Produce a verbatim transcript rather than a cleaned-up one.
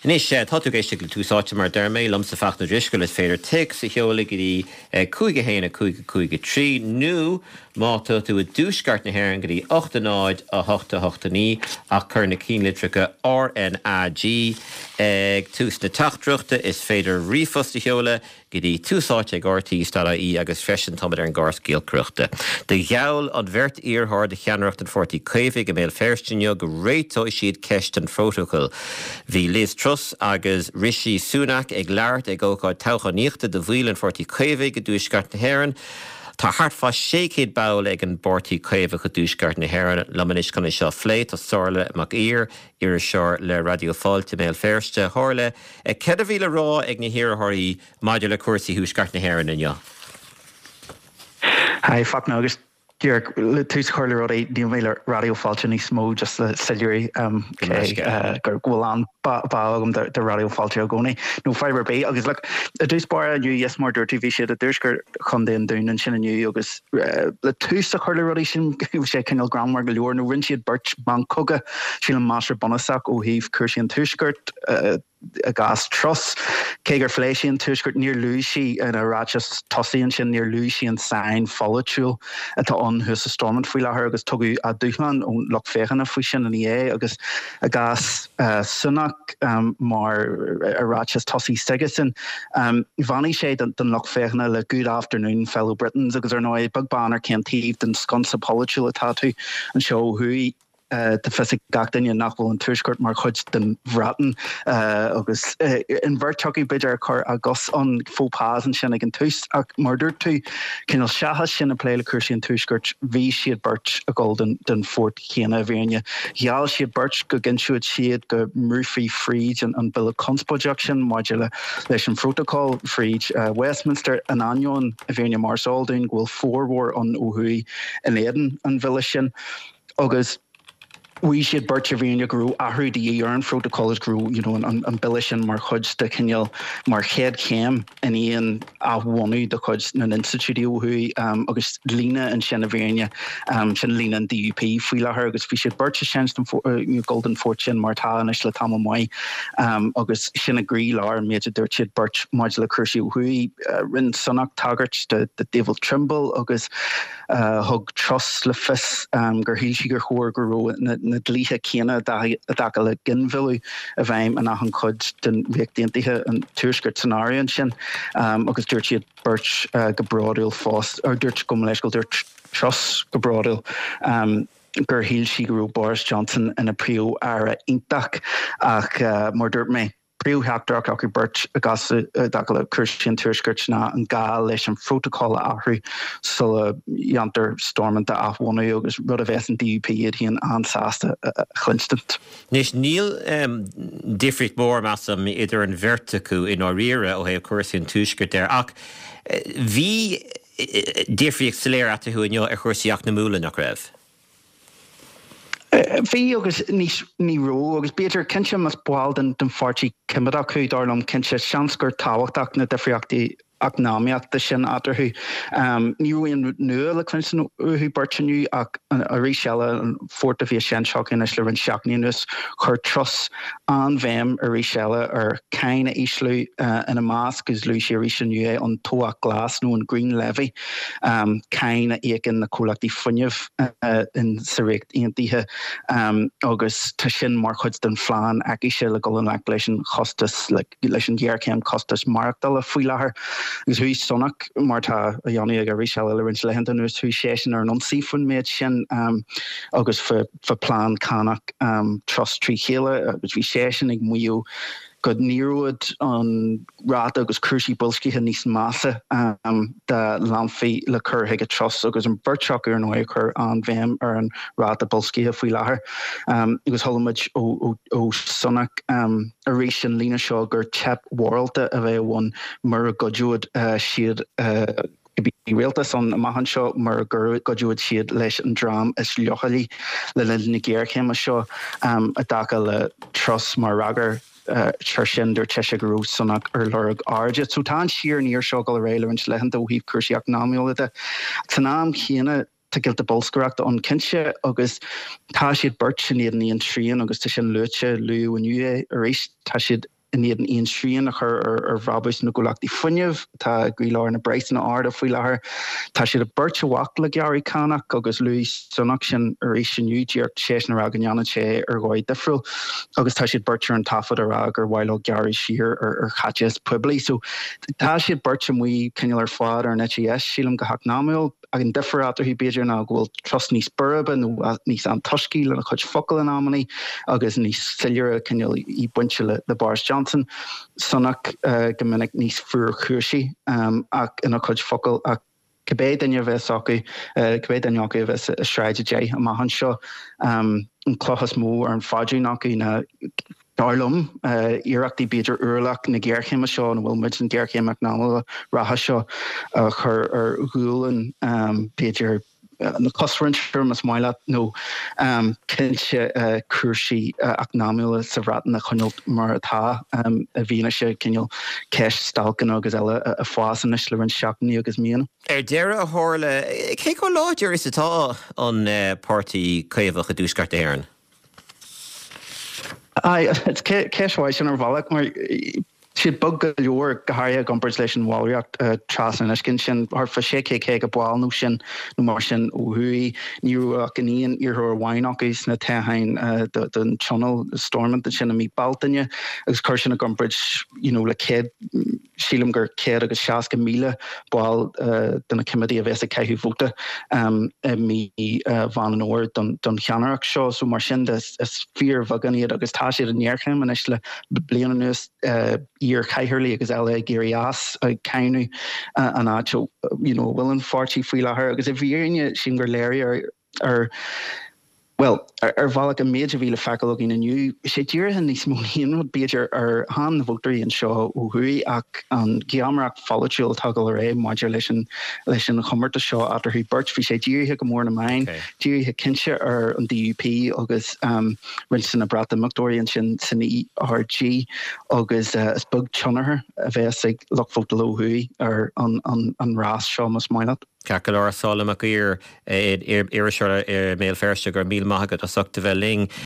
Anois tá tú ag éisteacht le Tús Áite mar deir mé liomsa Fachtna Drisceoil is féidir téacs a sheoladh go dtí cúig a haon a cúig a cúig a trí nó má tá tú i dtuaisceart na hÉireann go dtí ocht a náid a hocht a hocht a naoi ach cuir na ceannlitreacha RNAG ag tús na teachtaireachta is féidir ríomhphost a sheoladh go dtí túsáite ag RTÉ agus freisin táimid ar an gcóras giolcaireachta. Do gheall an bheirt iarrthóir do cheannaireacht an Pháirtí Chaomhaigh i mBéal Feirste inniu go réiteoidh siad ceist an phrótacail. Bhí Liz Truss agus Rishi Sunak ag labhairt ag ócáid toghchánaíochta do bhaill an Pháirtí Chaomhaigh i dtuaisceart na hÉireann. Tá thart fá sé chéad ball ag an bPáirtí Caomhach i dtuaisceart na hÉireann liom anois chun é seo a phlé tá Somhairle Mac Ír iriseoir le Raidió Fáilte Béal Feirste. Shomhairle, céard a bhí le rá ag na hiarrthóirí maidir le cúrsaí thuaisceart na hÉireann inniu. Hi, Fachtna agus le tús chur le rudaí níl mé le Raidió Fáilte níos mó just le soiléiriú gur bhfuil an bá agam de Raidió Fáilte i gcónaí nó fiber B agus le i dtús báire inniu yes mar dúirt tú bhí siad i dtuaisceart Chontae an Dúin ansin inniu agus le tús a chur le rudaí sin sé cineál greannmhar go leor nó rinne siad beirt meancogadh sílim más bunúsach ó thaobh cúrsaí an tuaiscirt i gcás Truss cé gur phléigh sí an tuaisceart níor luaigh sí ina ráiteas tosaigh ansin níor luaigh sí an sáinn pholaitiúil atá ann thuas i Stormont faoi láthair agus tugadh a dúshlán ón lucht féachana faoi sin ina dhiaidh agus i gcás Sunak mar a ráiteas tosaigh s'aigesan bheannaigh sé don lucht féachana le good afternoon fellow Britons agus ar ndóigh beag beann ar cén taobh den sconsa polaitiúil atá tú anseo thuaidh. Tá fios ag gach duine nach bhfuil an tuaisceart mar chuid den Bhreatain agus an bheirt acu b'fhéidir ag cur a gcos an faux pas ansin ag an tús ach mar dúirt tú cineál seachas sin a plé le cúrsaí an tuaiscirt bhí siad beirt ag dul den den phort chéanna i bhfírinne. Gheall siad beirt go gcinnteodh siad go mbrúfaí fríd an an bille conspóideach sin maidir le leis an phrótacal fríd Westminster in ainneoin i bhfírinne mar is eol dúinn go bhfuil formhór ann ó thuaidh in éadan an bhille sin agus Mhaígh siad beirt i bhfírinne go raibh athrú de dhíth ar an phrótacal agus go raibh you know, an, an bille sin mar chuid de chineál mar chéad chéim in aon athbhunú de chuid na n-institiúidí ó thuaidh um, agus líne ansin i bhfírinne um, sin líne an DUP faoi láthair agus bhí siad beirt sin uh, dul den phort sin mar tá anois le tamall maith um, agus sin i gcroílár an méid a dúirt siad beirt maidir le cúrsaí ó thuaidh uh, rinne Sunak tagairt de, de David Trimble agus uh, thug Truss le fios um, gur shíl sí gur chóir go raibh na, na dlíthe céanna i dtaca le ginmhilleadh i bhfeidhm in achan chuid den Ríocht Aontaithe an tuaisceart san áireamh ansin um, agus dúirt siad beirt uh, go bródúil fós ar dúirt go leis go dúirt Truss go bródúil um, gur shíl sí go raibh Boris Johnson ina phríomh-aire iontach ach uh, mar dúirt mé príomhtheachtaireacht acu beirt i gcás i dtaca le cúrsaí an tuaiscirt ná an gá leis an phrótacal a athrú sula dhéantar Stormont a athbhunú agus rud a bheas an DUP iad féin an-sásta a chluinstin. Anois níl um, difríocht mór measaim idir an bheirt acu i ndáiríre ó thaobh cúrsaí an tuaiscirt de ach bhí difríocht soiléir eatarthu inniu ar chúrsaí eacnamúla nach raibh. Bhí agus níos ní raibh agus b'fhéidir cinnte más ball den den pháirtí coimeádach thú dar liom cinnte seans gur tábhachtach na difríochtaí eacnamaíochta sin eatarthu. Um, ní raibh aon nua le cluinstin uathu beirt inniu ach arís eile an phort a bhí seinnte anois le roinnt seachtainí anuas chuir Truss an-bhéim arís eile ar cáin a ísliú uh, ina measc agus luaigh sí arís inniu é an tobhach glas nó an Green Levy um, cáin a íocann na comhlachtaí fuinnimh uh, in sa Ríocht Aontaithe um, agus tá sin mar chuid den phlean aicise le dul i ngleic leis an chostas leis an ghéarchéim costas maireachtála faoi láthair. Agus chuaigh Sunak mar tá á dhéanamh aige arís eile le roinnt laethanta anuas chuaigh seisean ar an ionsaí faoin méid sin um, agus fa, fa plean cánach um, Truss trí chéile agus bhí seisean ag maíomh go n-éireodh an ráta agus cúrsaí boilscithe níos measa um, dá leanfaí le cur chuige Truss agus an bheirt acu ar ndóigh ag cur an-bhéim ar an ráta boilscithe faoi láthair. Um, agus chuala muid ó, ó, ó Sunak um, arís an líne seo gur teip mhorálta a bheadh ann mura gcuideodh uh, siad uh, cibé rialtas ann amach anseo mura gcuideodh siad leis an dream is leochailí le linn na géarchéime seo um, i dtaca le Truss mar fhreagra air sin dúirt sise go raibh Sunak ar lorg airde. So tá an siar aniar seo ag dul ar aghaidh le roinnt laethanta ó thaobh cúrsaí eacnamaíochta de. San am chéanna tá giota bolscaireachta ann cinnte agus tá siad beirt in éadan aon srian agus tá sin luaite, luadh inniu é arís, tá siad in éadan aon srian a chur ar bhrabús na gcomhlachtaí fuinnimh atá i gcroílár na bpraghsanna arda faoi láthair. Tá siad beirt i bhfách le gearradh cánach agus luaigh Sunak sin arís inniu, díreach seisean a rá go ndéanann sé ar dhóigh difriúil agus tá siad beirt ar an taifead a rá gur mhaith leo gearradh siar ar chaiteachas poiblí. So tá siad beirt amuigh cineál ar fad ar an eite dheis, sílim, go heacnamúil. Ach an difear eatarthu, b'fhéidir, ná go bhfuil Truss níos boirbe nó níos antoiscí lena chuid focal in amannaí agus níos soiléire cineál í bainte le Boris Johnson. Sunak go minic níos fuarchúisí ach ina chuid focal ach cibé duine a bheas acu, cibé duine acu a bheas i Sráid a Deich amach anseo, an cloch is mó ar an phaidrín acu ná Dar liom, iarrachtaí b'fhéidir ualach na géarchéime seo, ina bhfuil muid, an ghéarchéim eacnamaíoch reatha seo, a chur ar ghualainn b'fhéidir na cosmhuintire, más maith leat, nó cinnte cúrsaí eacnamaíocha sa Bhreatain a choinneáil mar atá i bhfianaise cineál ceist stailceanna agus eile ag fás anois le roinnt seachtainí agus míonna. Ar deireadh, a Shomhairle, cé chomh láidir is atá an Páirtí Caomhach i dTuaisceart na hÉireann? Aye, ceist mhaith sin ar bhealach mar siad beag go leor, go háirithe i gcomparáid leis an bhallraíocht trasna an uisce ansin, thart fá sé chéad caoga ball nó sin nó mar sin ó thuaidh. Ní raibh ach an aon iarrthóir amháin acu sna toghcháin don Tionól Stormont ansin i mí Bealtaine agus cuir sin i gcomparáid you know le céad, sílim gur céad agus seasca míle ball de na coimeádaigh a bheas ag caitheamh vóta i mí Mheán an Fhómhair don cheannaireacht seo. So mar sin de is fíorbheagán iad agus tá siad i ngéarchéim anois le bliain anuas, iar-chathaoirligh agus eile ag éirí as, ag cáineadh an áit a you know a bhfuil an pháirtí faoi láthair agus i bhfírinne sílim gur léiriú ar Bhuel, ar bhealach, an méid a bhí le feiceáil againn inniu, sé dírithe níos mó ná aon rud, b'fhéidir, ar chan na vótóirí anseo ó thuaidh ach an gheamaireacht pholaitiúil atá ag dul ar aghaidh maidir leis an leis an chomórtas seo eatarthu beirt. Bhí sé dírithe go mór ar na meáin, dírithe cinnte ar an DUP agus roinnt de na Breatimeachtóirí ansin san ERG agus is beag tionchar a bheas ag lucht vótála ó thuaidh ar an an rás seo, más maith leat. Ceart go leor, Somhairle Mac Uidhir, iriseoir i mBéal Feirste, go raibh míle maith agat as ucht a bheith linn.